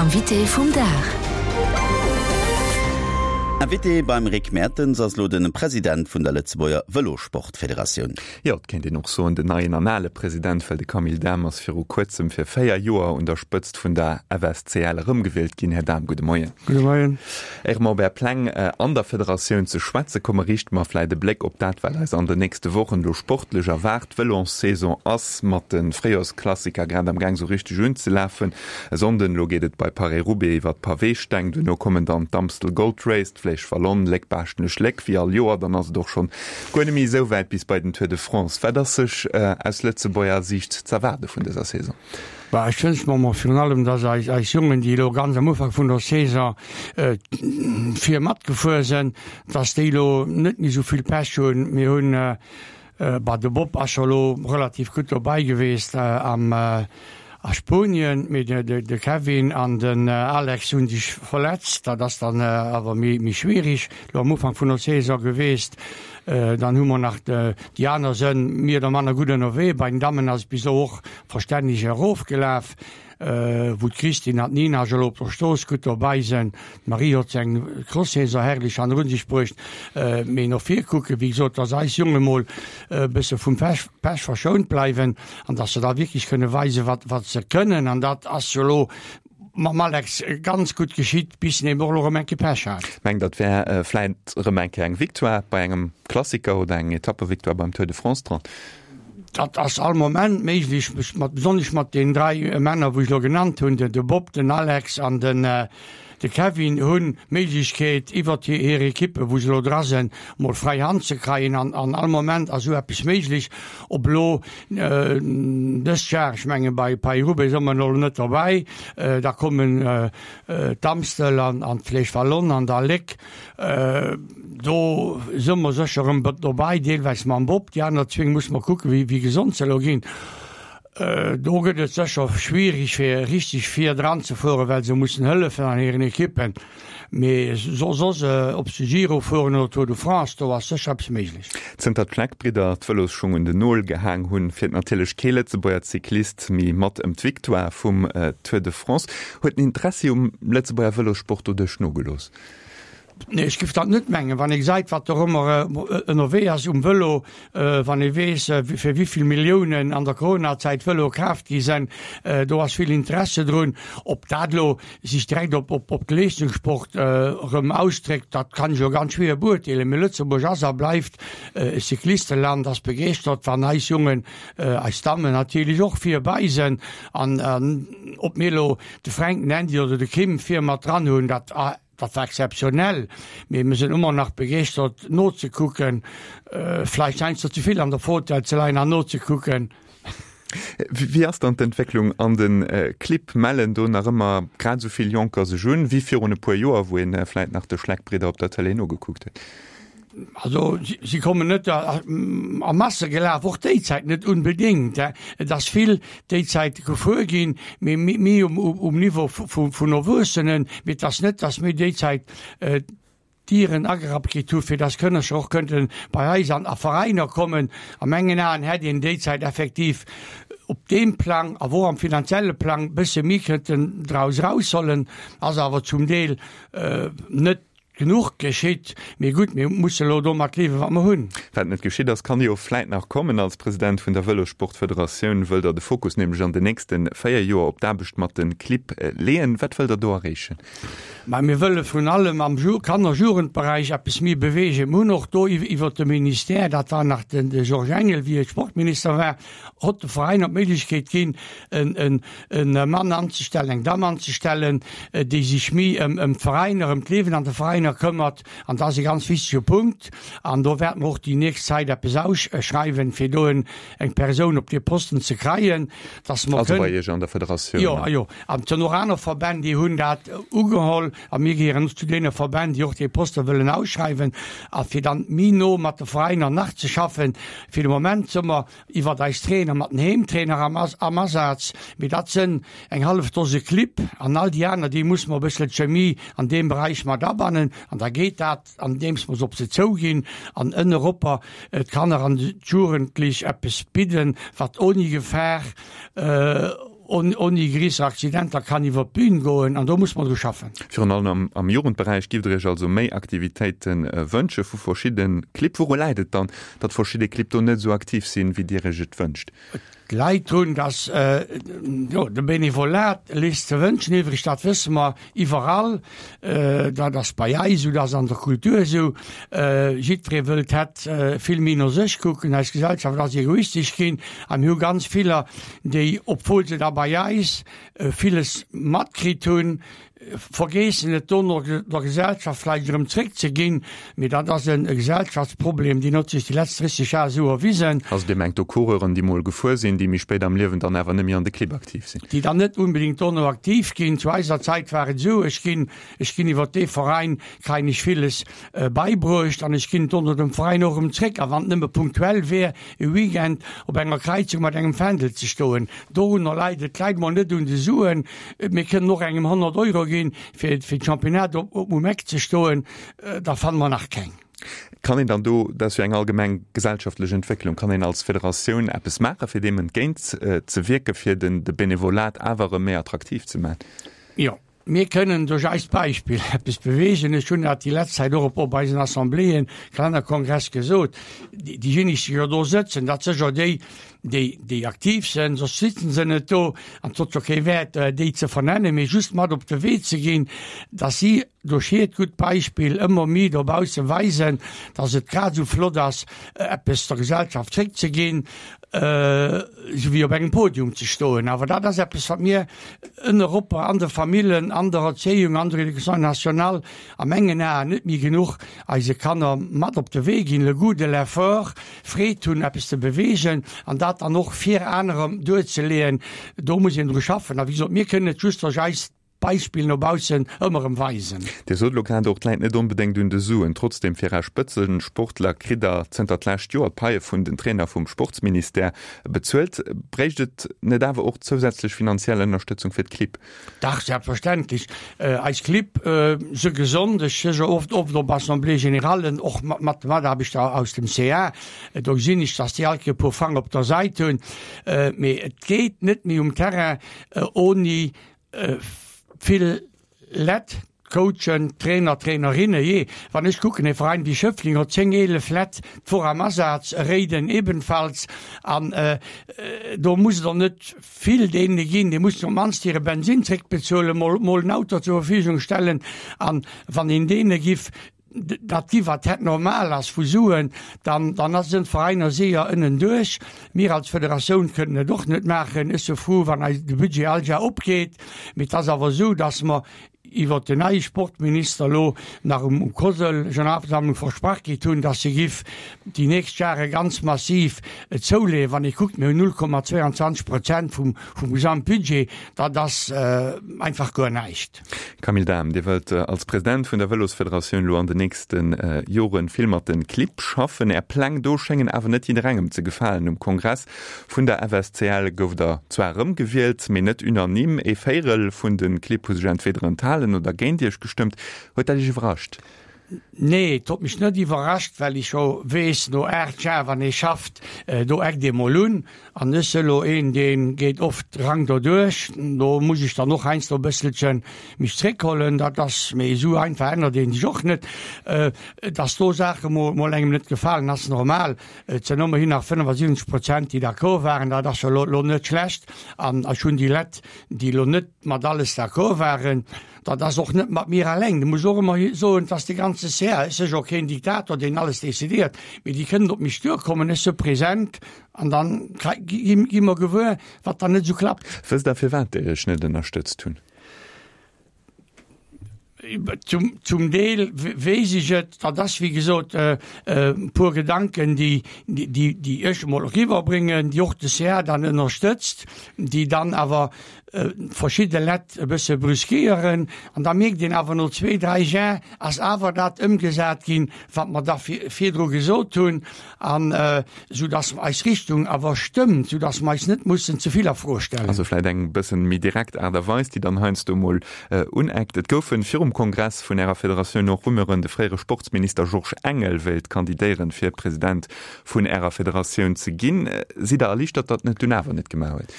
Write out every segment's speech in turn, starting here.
Invité vum Dag. Invité beim Rick Mertens ass elo de President vun der Lëtzebuerger Vëlosportfederatioun. Jo, et kéint een och soen, den neien an ale President, well de Camille Dahm ass viru kuerzem fir 4 Joer un der Spëtzt vun der FSCL erëmgewielt ginn. Här Dahm, gudde Moien. Gudde Moien. Éier mer op Är Pläng an der Federatioun ze schwätze kommen, riichte mer vläit e Bléck op dat, wat eis an den nächste Wochen elo sportlech erwaart. D'Vëlossaison ass mat de Fréijorsklassiker grad am Gaang sou richteg unzelafen. E Sonnden elo geet et bei Paris-Roubaix iwwer d'Paweesteng, duerno kommen dann d'Amstel Gold Race, d'Flèche Wallonne, Léck-Baaschtnech-Léck wéi all Joer. Dann ass et och schonn guer net méi esou wäit bis bei den Tour de France. Wat ass sech aus Lëtzebuerger Siicht z'erwaarde vun dëser Saison? Bah, ech wënsch mer mol virun allem, dass eis eis Jongen, déi elo ganz am Ufank vun der Saison vir matgefuer sinn, dass déi elo net méi esou vill Pech hunn. Mir hunn Bah, de Bob ass scho lo relativ gutt dobei geweest am a Spuenien, mee de Kevin an den Alex hunn sech verletzt. Dat ass dann awer méi méi schwierig lo am Ufank vun der Saison geweest. Dann hu mer nach déi aner sënn méi oder manner gutt ënnerwee. Bei den Dammen ass et bis elo och verstänneg erofgelaf. Wou d'Christine an d'Nina scho lo op der Strooss gutt dobei sen. D'Marie hot seng Cross-Saison herrlech hannerun sech bruecht. Mee no vir kucken, wéi gesot, dass eis Jonge mol e bësse vum Pech verschount bleiwen an dass se da wierklech kënne weisen, wat wat se kënnen. An dat ass jo lo mam Alex ganz gutt geschitt, bis en eben och lo erëm eng Kéier Pech hat. Mengt Der, et wär vläit erëm eng Kéier eng Victoire bei engem Klassiker oder eng Etappevictoire beim Tour de France dran? Dat ass all Moment méiglech, besonnesch mat deenen 3 Männer, wou ech elo genannt hunn, de Bob, den Alex an den de Kevin hunn d'Méiglechkeet, iwwert hir Ekippe, wou se elo dra sinn, mol fräi Hand ze kreien. An an all Moment ass esou eppes méiglech. Ob elo dëst Jar, ech menge bei Paris-Roubaix si mer elo net dobäi, da kommen d'Amstel an d'Flèche Wallonne an da Léck. Do si mer sécher erëm dobäi, deelweis mam Bob. Déi aner zwéng musse mer kucken, wéi gesond se elo ginn. Do gëtt et sécher schwierig, fir richteg vir dran ze fueren, well se mussen hëllefen an hiren Ekippen. Mee soss, ob se Giro fueren oder Tour de France, do ass sécher eppes méiglech. Zënter d'Schleck-Bridder d'Vëlosschung un den Nol gehaang hunn, fiert natierlech kee Lëtzebuerger Cyclist méi mat ëm d'Victoire vum Tour de France. Huet den Interessi um Lëtzebuerger Vëlossport doduerch nogelooss? Nee, ech géif dat net mengen. Wann ee gesäit, wat dorëmmer ënnerwee ass um Vëlo, wann ee weess, fir wéi vill Milliounen an der Coronazäit Vëloe kaaft gi sinn, do ass vill Interesse drun. Ob dat elo sech direkt op op de Leeschtungssport erëm ausdréckt, dat kann ech elo ganz schwéier beurteelen. Mee Lëtzebuerg ass a bleift e Cyclisteland, ass begeeschtert, wann eis Jongen, eis Dammen natierlech och vir bei sinn. An ob mir elo de Fränk, den Andy oder de Kim vir mat dran hunn, dat dat war exzeptionell, mee mir sinn ëmmer nach begeeschtert nozekucken, vläicht heiansdo ze vill an der Fauteuil ze leien an nozekucken. Wéi ass dann d'Entwécklung an de Clibb? Mellen do nach ëmmer grad esou vill Jonker sech un wéi virun e puer Joer, wou een vläit nach de Schleck-Bridder op der Tëlee nogekuckt huet? Also si kommen net a Masse gelaf, och déi Zäit net unbedéngt. Et ass vill déi Zäit gefuer ginn, mee méi um Niveau vun Erwuessenen. Mee et ass net, datt mir déi Zäit d'Dieren agerappt kritt hu fir datt Kënnercher och kënnte bei eis an a Veräiner kommen. A mengen Aen hätt een déi Zäit effektiv op deem Plang, awer och am finanzielle Plang, bësse méi kënnten draus eraushollen. Ass awer zum Deel net Genuch geschitt, mee gutt, mir musse elo domat liewen, wat mer hunn. Wat net geschitt ass, kann jo vläit nach kommen. Als President vun der Vëlossportfederatioun wëllt Der de Fokus nämlech an den nächste 4 Joer op d'Aarbecht mat de Clibb leeën. Wat wëllt Der do erreechen? Ma mir wëlle vrun allem am Kanner-Jugendberäich eppes méi beweegen. Mir hunn och do iwwert de Ministère, dat war nach de Georges Engel, wéi e Sportminister war, hott de Veräiner d'Méiglechkeet ginn, en Mann anzestellen, eng Damm anzestellen, déi sech méi ëm d'Veräiner, ëm d'Liewen an de Veräiner këmmert. An dat ass e ganz wichtege Punkt. An do wäerte mer och déi nächst Zäit eppes ausschreiwen, fir do eng Persoun op dee Posten ze kreien, dass mer kënnen. Also bei Iech an der Federatioun? Jo, jo. An et sinn och aner Verbänn, déi hunn dat ugeholl. A mir gehéieren och zu deene Verbänn, déi och dee Poste wëllen ausschreiwen. A fir dann méi no mat de Veräiner nach ze schaffen. Fir de Moment si mer iwwert eis Trainer mat den Heemtrainer am am Asaz, mee dat sënn eng hallef Dose Clibb an all déi aner, déi musse mer e bëssele d'Chemie an deem Beräich mat abannen an da geet dat, andeems mer se op se zouginn an ënneropper d'Kanner an d'Jugendlech eppes bidden, wat ouni Gefahr. Ouni gréisser Accidenter kann iwwer d'Bühn goen an do muss mer dru schaffen. Virun allem am Jugendberäich giff der Iech also méi Aktivitéite wënsche vu verschidde Clibb. Wouru läit et dann, datt verschidde Clibb do net esou aktiv sinn, wéi Dir Iech et wënscht? Et läit drun, datt, jo, de Benevolat léisst ze wënschen iwwreg, dat wësse mer iwwerall. Dat ass bei eis esou, dat ass an der Kultur esou. Jiddweree wëllt hätt vill méi no sech kucken. Eis Gesellschaft ass egoistesch ginn a mir hu ganz viller, déi, obwuel se da bei eis villes matkritt hunn, vergeessen et dono der Gesellschaft vläicht erëm zréckzeginn. Mee dat ass e Gesellschaftsproblem, deen huet sech déi letzt 30 Jar esou erwisen. Also Dir mengt do Coureuren, déi mol gefuer sinn, déi méi spéit am Liewen dann awer net méi an de Clibb aktiv sinn? Déi dann net unbedingt dono aktiv ginn. Zu eiser Zäit war et esou, ech ginn, ech ginn iwwer dee Veräin, kréien ech villes beibruecht an ech ginn dono dem Veräin och erëm zréck. A wann et nëmme punktuell wär, e Weekend op enger Kräizung mat engem Fändel ze stoen, dorunner leit et. Et läit mol net un de Suen. Mir kënnen och engem 100 Euro ginn, fir fir d'Championnat op um Eck ze stoen. Da fanne mer nach keng. Kann een dann do, dat ass jo eng allgemeng gesellschaftlech Entwécklung, kann een als Federatioun eppes maachen, fir deem entgéint ze wierken, fir den de Benevolat awer erëm méi attraktiv ze maachen? Jo, mir kënnen duerch eist Beispill eppes beweegen. Ech hunn dat déi letzt Zäit och op eisen Assembléeën, Kalennerkongress gesot. Déijéineg, déi jo do sëtzen, dat si jo déi, déi, déi aktiv sinn, soss sitzen se net do an et huet jo kee Wäert, déi ze vernennen, mee just mat op de Wee ze ginn, dass si duerch hiert gutt Beispill ëmmer méi dobausse weisen, dass et grad esou flott ass, eppes der Gesellschaft zréckzeginn, esou wéi op engem Podium ze stoen. Awer dat ass eppes, wat mir ënneropper an de Famillen, an der Erzéiung, an der Éducation nationale a mengen Aen net méi genuch eise Kanner mat op de Wee ginn, le goût de l'effort, Freed hunn, eppes ze beweegen an dat dann och fir anerer duerzeleeën, do muss een dru schaffen. A wéi gesot, mir kënnen et just duerch eist Beispill no baussen ëmmer erëm weisen. Dir sot elo grad och, et läit net onbedéngt un de Suen. Trotzdem, fir Är Spëtzesportler kritt Der zënter d'lescht Joer d'Paie vun den Trainer vum Sportsministère bezuelt. Bréicht et net awer och zousätzlech finanziell Ënnerstëtzung fir d'Clibb? Dach, selbstverständlech. Eis Clibb se gesond. Ech si jo oft oft op Assemblées générallen, och mat de Mataarbechter aus dem CA. Do gesinn ech, dass déi all Kéier e puer Frang op der Säit hunn. Mee et geet net méi um Terrain oni vill Lett. Coachen, Trainer, Trainerinne, jee, wann ech kucken, e Veräin wéi Schëffleng huet 10, 11 Lett d'Woch am Asaz, Réiden ebenfalls, an do muss et och net vill deene ginn, déi mussen op d'mannst hire Bensinn zréckbezuelen, mol mol en Auto zur Verfügung stellen, an wann een deene giff dat gi wat hätt normal ass vu Suen, dann dann ass den Veräiner seeër ënnen duerch. Mir als Federatioun kënnen et och net maachen. Ech se fru wann eis de Budget all Jar opgeet, mee et ass awer esou, datt mer iwwer den neie Sportminister elo nach um COSL Generalversammlung versprach kritt hunn, datt se giff déi nächst Jahre ganz massiv zouleeën. Wann ee kuckt, mir hunn 0,22 Prozent vum vum Gesamtbudget, dat ass einfach guer näischt. Camille Dahm, Dir wëllt als President vun der Vëlosfederatioun elo an den nächste Jore vill mat de Clibb schaffen. Är Pläng do schéngen awer net jidderengem ze gefalen. Um Kongress vun der FSCL gouft Der zwar erëmgewielt, mee net unanime. Ee Véirel vun de Clibb hu sech entweder enthalen oder géint Iech gestëmmt. Huet dat Iech iwwerrascht? Nee, et huet mech net iwwerrascht, well ech jo weess, no 8 Jar, wann ee schafft, do eckt ee mol un. An ech si lo een, dee geet oft rank doduerch. Do muss ech dann och heiansdo e bësselche mech zréckhollen. Dat ass, mee esou einfach ännert ee sech och net. Dass do Saache mol engem net gefalen, ass normal. Et sinn ëmmerhin nach 75 Prozent, déi d'accord waren. Dat ass jo lo net schlecht. An ech hunn déi Lett, déi lo net mat alles d'accord waren, Dat ass och net mat mir alleng. Du muss och ëmmer soen, dass de ganze CA, ech si jo keen Diktator, deen alles decidéiert, mee déi kënnen op mech duerkommen, ech si present an dann gi mer gewuer, wat dann net esou klappt. Wësst Der, firwat déi Iech net ënnerstëtzt hunn? Zum, zum Deel weess ech et. Dat ass, wéi gesot, e puer Gedanken, déi, déi, déi ech emol eriwwerbréngen, déi och de CA dann ënnerstëtzt, déi dann awer verschidde Lett e bësse brüskéieren an da mierkt een awer no zwee, dräi Jar ass awer dat ëmgesat ginn, wat mer da virdru gesot hunn an esou dass eis Richtung awer stëmmt, esou dass mer eis net mussen ze vill a Fro stellen. Also vläit eng bëssen méi direkt Aart a Weis, déi dann heiansdo mol uneckt. Et goufen virum Kongress vun Ärer Federatioun och Rumeuren, de fréiere Sportsminister Georges Engel wéilt kandidéieren, fir President vun Ärer Federatioun ze ginn. Sidd Der erliichtert, datt en et dunn awer net gemaach huet?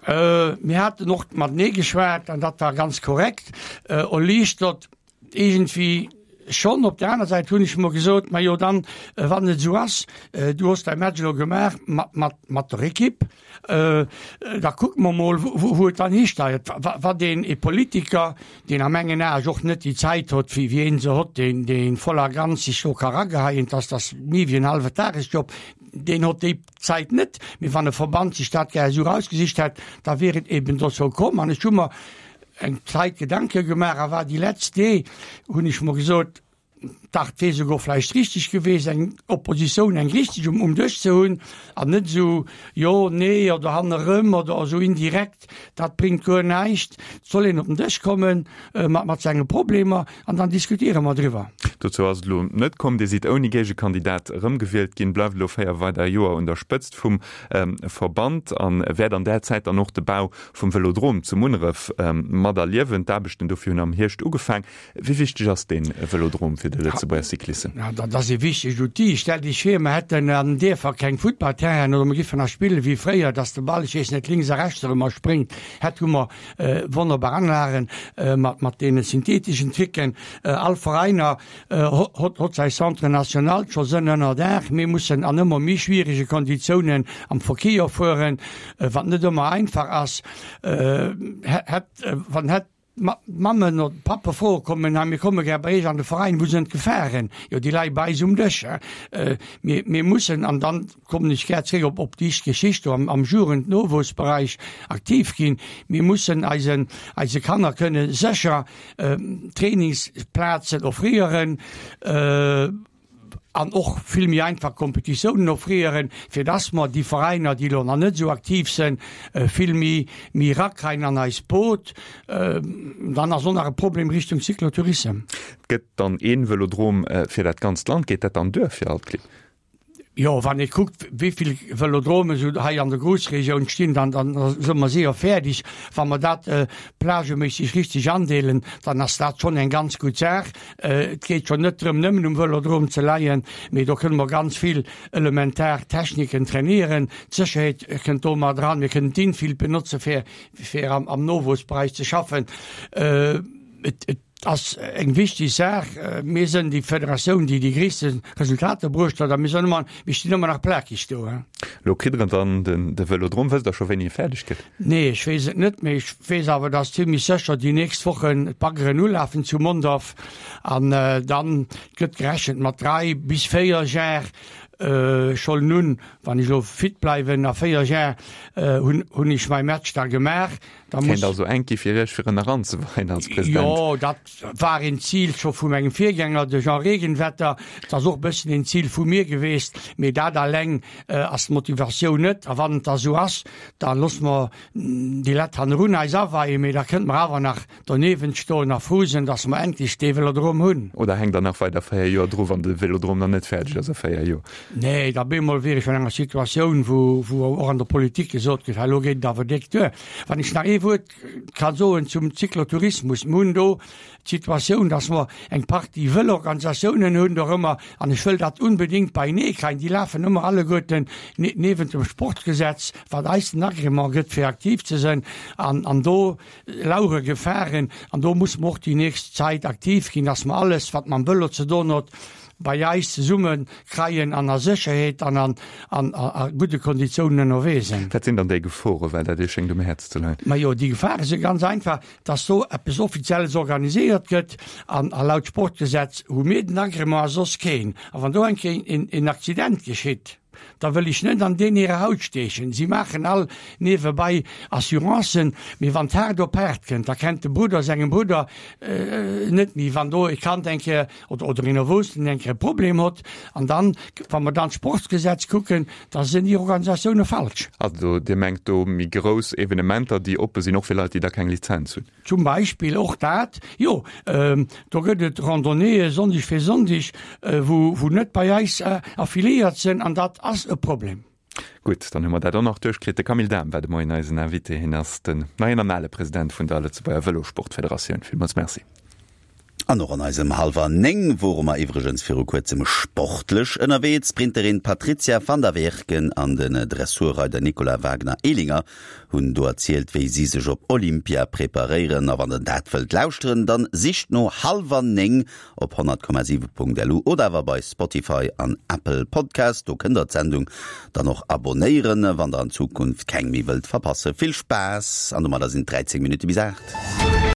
Mir haten och matenee geschwat an dat war ganz korrekt. Erliichtert iergendwéi schonn. Op der aner Säit hunn ech mer gesot, Majo dann, wann et esou ass, du hues däi Match elo gemaach mat, mat, mat der Ekipp, da kucke mer mol, wou et dann histeiert. Wat een e Politiker, deen a mengen Aen och net déi Zäit hott, wéi wéi een se hott, deen, deen voll a ganz sech do ka rageheien, dass dass méi wéi en hallwe Tagesjob, deen hott déi Zäit net, mee wann e Verband sech dat gär esou erausgesicht hätt, da wier et eben dozou komm. An ech hu mer eng Zäit Gedanke gemaach a war déi letzt Dee hunn ech mer gesot, dach, et wier souguer vläicht richtig geweest, eng Oppositioun, eng richtig um um Dësch ze hunn an net esou jo, nee oder hannerëm oder esou indirekt, dat bréngt guer näischt. Et soll een op den Dësch komme mat mat senge Problemer An dann diskutiere mer driwwer. Dozou ass et elo net komm. Dir sidd ouni Géigekandidat erëmgewielt ginn, bleift elo 4 weider Joer un der Spëtzt vum Verband a wäert an där Zäit dann och de Bau vum Vëlodrom zu Munneref materliewen. D'Aarbechten dofir hunn am Hierscht ugefaang. Wéi wichteg ass dee Vëlodrom fir de Lëtzebuerger Cyclissem? Dat ass e wichtegt Outil. Stellt Iech vir, mer hätten an den Dierfer keng Futtballterrainen oder mer giffen nach spille wéi fréier, dass de Ball, ech weess net, lénks a rechts erëmmer spréngt. Hätt hu mer Wonnerbar Anlagen mat deene syntheteschen Tricken. All Veräiner hott säi Centre national scho sënn ënner Daach. Mir mussen an ëmmer méi schwierege Konditiounen am Verkéier fueren, wat net ëmmer einfach ass. Hätt wann hätt d'Mammen oder d'Pappe froe kommen, hei mir komme gär bei iech an de Veräin, wou sënn d'Gefaren? Jo déi leie bei eis um Dësch. Mir mir mussen an dann kommen ech gär zréck op op déi Geschicht do am am Jugend-Nowuessbereich aktiv ginn. Mir mussen eisen eise Kanner kënne sécher Trainingsplazen offréieren an och vill méi einfach Kompetitiounen offréieren, fir dass mer déi Veräiner, déi elo nach net esou aktiv sinn, vill méi méi erakreien an eist Boot. Dann ass och nach e Problem Richtung Cyclotourissem. Et gëtt dann een Vëlodrom fir dat ganzt Land. Geet dat dann duer fir all d'Clibb? Jo, wann ee kuckt, wéi vill Vëlodromen esou hei an der Groussregioun stinn, dann, dann si mer séier fäerdeg. Wa mer dat plageméisseg richteg andeelen, dann ass dat schonn eng ganz gutt Saach. Et geet jo net drëm, nëmmen um Vëlodrom ze leien, mee do kënne mer ganz vill elementar Techniken trainéieren. D'Sécherheet kënnt do mat eran. Mir kënnen d'Infield benotze fir, fir am, am Nowuessbereich ze schaffen. Et, et ass eng wichteg Saach. Mir sënn déi Federatioun, déi déi gréisste Resultater bruecht huet a mir sënn ëmmer, mir stinn ëmmer nach plakeg do. Elo kritt Der dann den, de Vëlodrom. Wësst Der scho wéini e fäerdeg gëtt? Nee, ech weess et net, mee ech weess awer, dass zimmlech sécher déi nächst Wochen d'Baggeren ulafen zu Mondorf an dann gëtt gerechent mat 3 bis 4 Jar. Scho nun, wann ech elo fit bleiwen, a 4 Jar hunn, hunn ech mäi Match da gemaach. Da muss. Kéint also enk gi fir Iech fir en eranzeweien als President. Jo, dat war een Zil scho vu mengem Virgänger, de Jean Regenwetter. Et ass och e bëssen een Zil vu mir geweest, mee dat alleng ass d'Motivatioun net. A wann et da sou ass, da loosse mer déi Lett hannerun eis aweien, mee da kënnte mer awer nach doniewent stoen a frou sinn, dass mer endlech dee Vélodrom hunn. Oder hänkt Der nach weider 4 Joer dru, wann de Vélodrom nach net fäerdeg ass a 4 Joer? Nee, da bemol wier ech an enger Situatioun, wou, wou och an der Politik gesot gëtt, hei elo geet et awer déck duer. Wann ech nach ee Wuert ka soen zum Cyclotourismus, Mir hunn do d'Situatioun, dass mer eng Partie Vëlorganisatiounen hunn dorëmmer, an ech wëll dat unbedéngt beienee kréien, déi lafen ëmmer alleguerten niewent dem Sportgesetz, wat eis den Agrément gëtt fir aktiv ze sinn, an, an do lauere Gefaren, an do musse mer och déi nächst Zäit aktiv ginn, dass mer alles, wat mam Vëlo ze doen huet, bei eis zesumme kreien an a Sécherheet an an an a gudde Konditiounen ënnerwee sinn. Wat sinn dann déi Geforen, well dat Iech schéngt um Häerz ze leien? Majo, déi Gefare si ganz einfach, dass do eppes Offizielles organiséiert gëtt an a laut Sportgesetz hu mir den Agrément a soss keen. A wann do eng Kéier een een Accident geschitt, da wëll ech net an deen hire Haut steechen. Si maachen all niewebei Assurancen, mee wann d'haart op haart kënnt, da kennt de Brudder sengem Brudder net méi. Wann do e Kand eng Kéier oder oder een Erwuessenen eng Kéier e Problem hott, an dann, wa mer dann d'Sportsgesetz kucken, da sinn déi Organisatioune falsch. Also Dir mengt do méi grouss Evenementer, déi oppe sinn, och fir Leit, déi da keng Lizenz hunn? Zum Beispill och dat, jo. Do gëtt et Randonnéeë Sonndeg fir Sonndeg, wou wou net bei eis affiliéiert sinn, an dat ass e Problem. Gutt, dann hu mer dat och nach duerchkritt. De Camille Dahm war de Moien eisen Invité. Hien ass den neien an ale President vun der Lëtzebuerger Vëlosportfederatioun. Villmools Merci. An och an eisem Hallwer 9 wore mer iwwregens viru kuerzem sportlech ënnerwee. D'Sprinterin Patrizia van der Weken an den Dressurreider Nicolas Wagner-Ehlinger hunn do erzielt, wéi si sech op Olympia preparéieren. A wann der dat wëllt lauschteren, dann sicht no Hallwer 9 op 100,7.lu oder awer bei Spotify an Apple Podcast. Do kënnt der d'Sendung dann och abonéieren, wann der an Zukunft keng méi wëllt verpassen. Vill Spaass an domadder sinn et 13 Minutte bis 8.